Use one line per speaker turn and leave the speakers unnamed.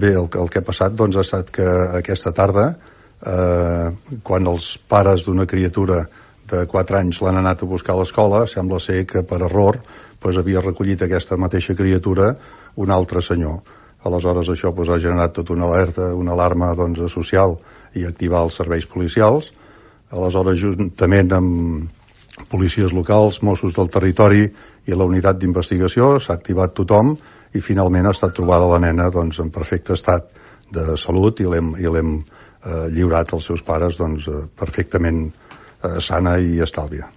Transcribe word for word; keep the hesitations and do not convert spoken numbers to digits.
bé, el, el que ha passat doncs, ha estat que aquesta tarda, eh, quan els pares d'una criatura de quatre anys l'han anat a buscar a l'escola, sembla ser que per error doncs, havia recollit aquesta mateixa criatura un altre senyor. Aleshores això doncs, ha generat tota una alerta, una alarma doncs, social i activar els serveis policials. Aleshores, juntament amb policies locals, Mossos del territori i la unitat d'investigació, s'ha activat tothom i finalment ha estat trobada la nena doncs, en perfecte estat de salut i l'hem, i l'hem eh, lliurat als seus pares doncs, perfectament eh, sana i estàlvia.